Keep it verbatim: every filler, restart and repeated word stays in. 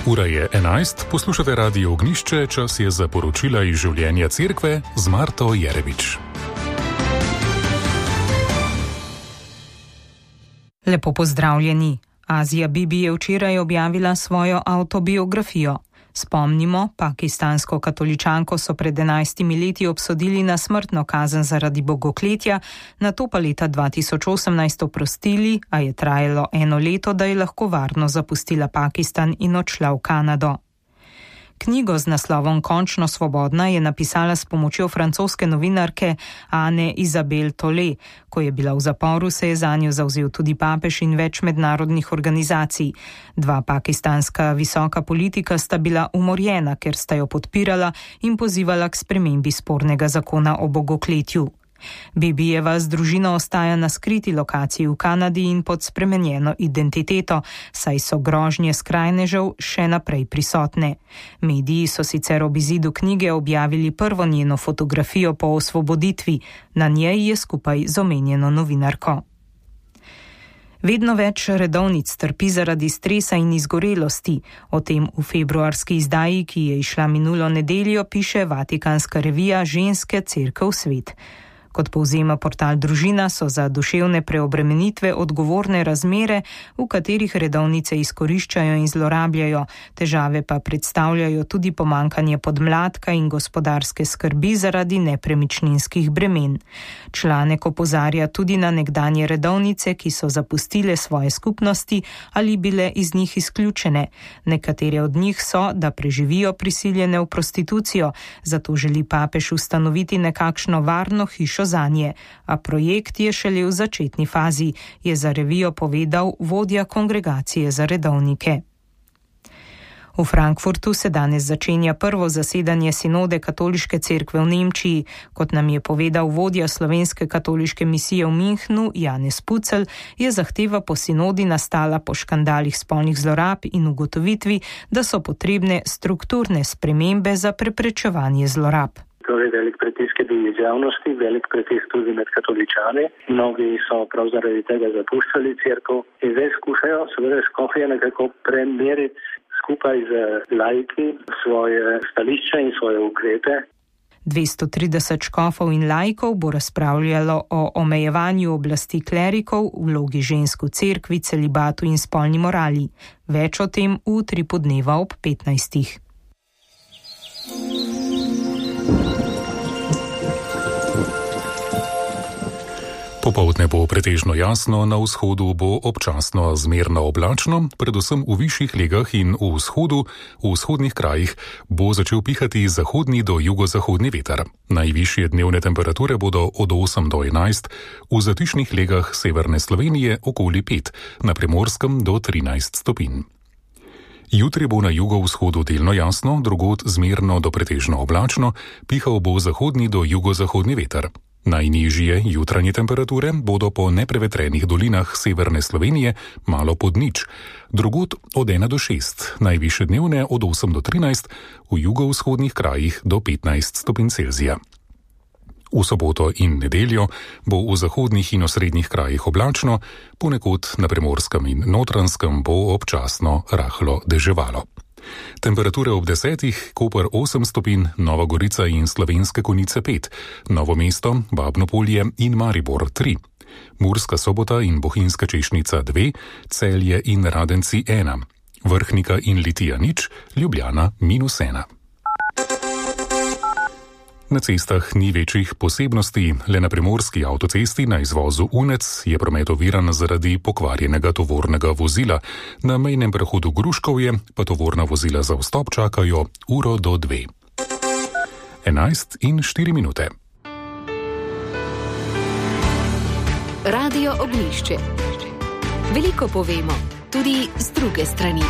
Ura je enajst, poslušate Radio Ognjišče, čas je za poročila iz življenja cerkve z Marto Jerevič. Lepo pozdravljeni. Azija Bibi je včeraj objavila svojo avtobiografijo. Spomnimo, pakistansko katoličanko so pred enajstimi leti obsodili na smrtno kazen zaradi bogokletja, nato pa leta dva tisoč osemnajst oprostili, a je trajalo eno leto, da je lahko varno zapustila Pakistan in odšla v Kanado. Knjigo z naslovom Končno svobodna je napisala s pomočjo francoske novinarke Anne Isabelle Tollet. Ko je bila v zaporu, se je zanjo zavzel tudi papež in več mednarodnih organizacij. Dva pakistanska visoka politika sta bila umorjena, ker sta jo podpirala in pozivala k spremembi spornega zakona o bogokletju. Bibijeva z družino ostaja na skriti lokaciji v Kanadi in pod spremenjeno identiteto, saj so grožnje skrajnežev še naprej prisotne. Mediji so sicer ob izidu knjige objavili prvo njeno fotografijo po osvoboditvi. Na njej je skupaj z omenjeno novinarko. Vedno več redovnic trpi zaradi stresa in izgorelosti. O tem v februarski izdaji, ki je izšla minulo nedeljo, piše vatikanska revija Ženske cerkev svet. Kot povzema portal Družina, so za duševne preobremenitve odgovorne razmere, v katerih redovnice izkoriščajo in zlorabljajo, težave pa predstavljajo tudi pomanjkanje podmladka in gospodarske skrbi zaradi nepremičninskih bremen. Članek opozarja tudi na nekdanje redovnice, ki so zapustile svoje skupnosti ali bile iz njih izključene. Nekatere od njih so, da preživijo prisiljene v prostitucijo, zato želi papež ustanoviti nekakšno varno hišo zanje, a projekt je šele v začetni fazi, je za revijo povedal vodja kongregacije za redovnike. V Frankfurtu se danes začenja prvo zasedanje sinode katoliške cerkve v Nemčiji. Kot nam je povedal vodja slovenske katoliške misije v Münchnu, Janez Pucelj, je zahteva po sinodi nastala po škandalih spolnih zlorab in ugotovitvi, da so potrebne strukturne spremembe za preprečevanje zlorab. Torej velik pritisk je bil iz javnosti, velik pritisk tudi med katoličani. Mnogi so prav zaradi tega zapuščali cerkev in zdaj skušajo seveda škofje nekako premeriti skupaj z laiki svoje stališče in svoje ukrepe. dvesto trideset škofov in laikov bo razpravljalo o omejevanju oblasti klerikov, vlogi žensk v cerkvi, celibatu in spolni morali. Več o tem v utripu dneva ob petnajstih. Popoldne bo pretežno jasno, na vzhodu bo občasno zmerno oblačno, predvsem v višjih legah in v vzhodu, v vzhodnih krajih bo začel pihati zahodni do jugozahodni veter. Najvišje dnevne temperature bodo od osem do enajst, v zatišnih legah severne Slovenije okoli pet, na Primorskem do trinajst stopinj. Jutri bo na jugovzhodu delno jasno, drugod zmerno do pretežno oblačno, pihal bo zahodni do jugozahodni veter. Najnižje jutranje temperature bodo po neprevetrenih dolinah severne Slovenije malo pod nič, drugod od ena do šest, najvišje dnevne od osem do trinajst, v jugovzhodnih krajih do petnajst stopinj Celzija. V soboto in nedeljo bo v zahodnih in osrednjih krajih oblačno, ponekod na Primorskem in Notranjskem bo občasno rahlo deževalo. Temperature ob desetih, Koper osem stopinj, Nova Gorica in Slovenske Konjice pet, Novo mesto, Babnopolje in Maribor tri, Murska Sobota in Bohinjska Češnica dve, Celje in Radenci ena, Vrhnika in Litija nič, Ljubljana minus ena. Na cestah ni večjih posebnosti, le na primorski avtocesti na izvozu Unec je promet oviran zaradi pokvarjenega tovornega vozila, na mejnem prehodu Gruškovje pa tovorna vozila za vstop čakajo uro do dve. enajst in štiri minute. Radio Ognjišče. Veliko povemo, tudi z druge strani.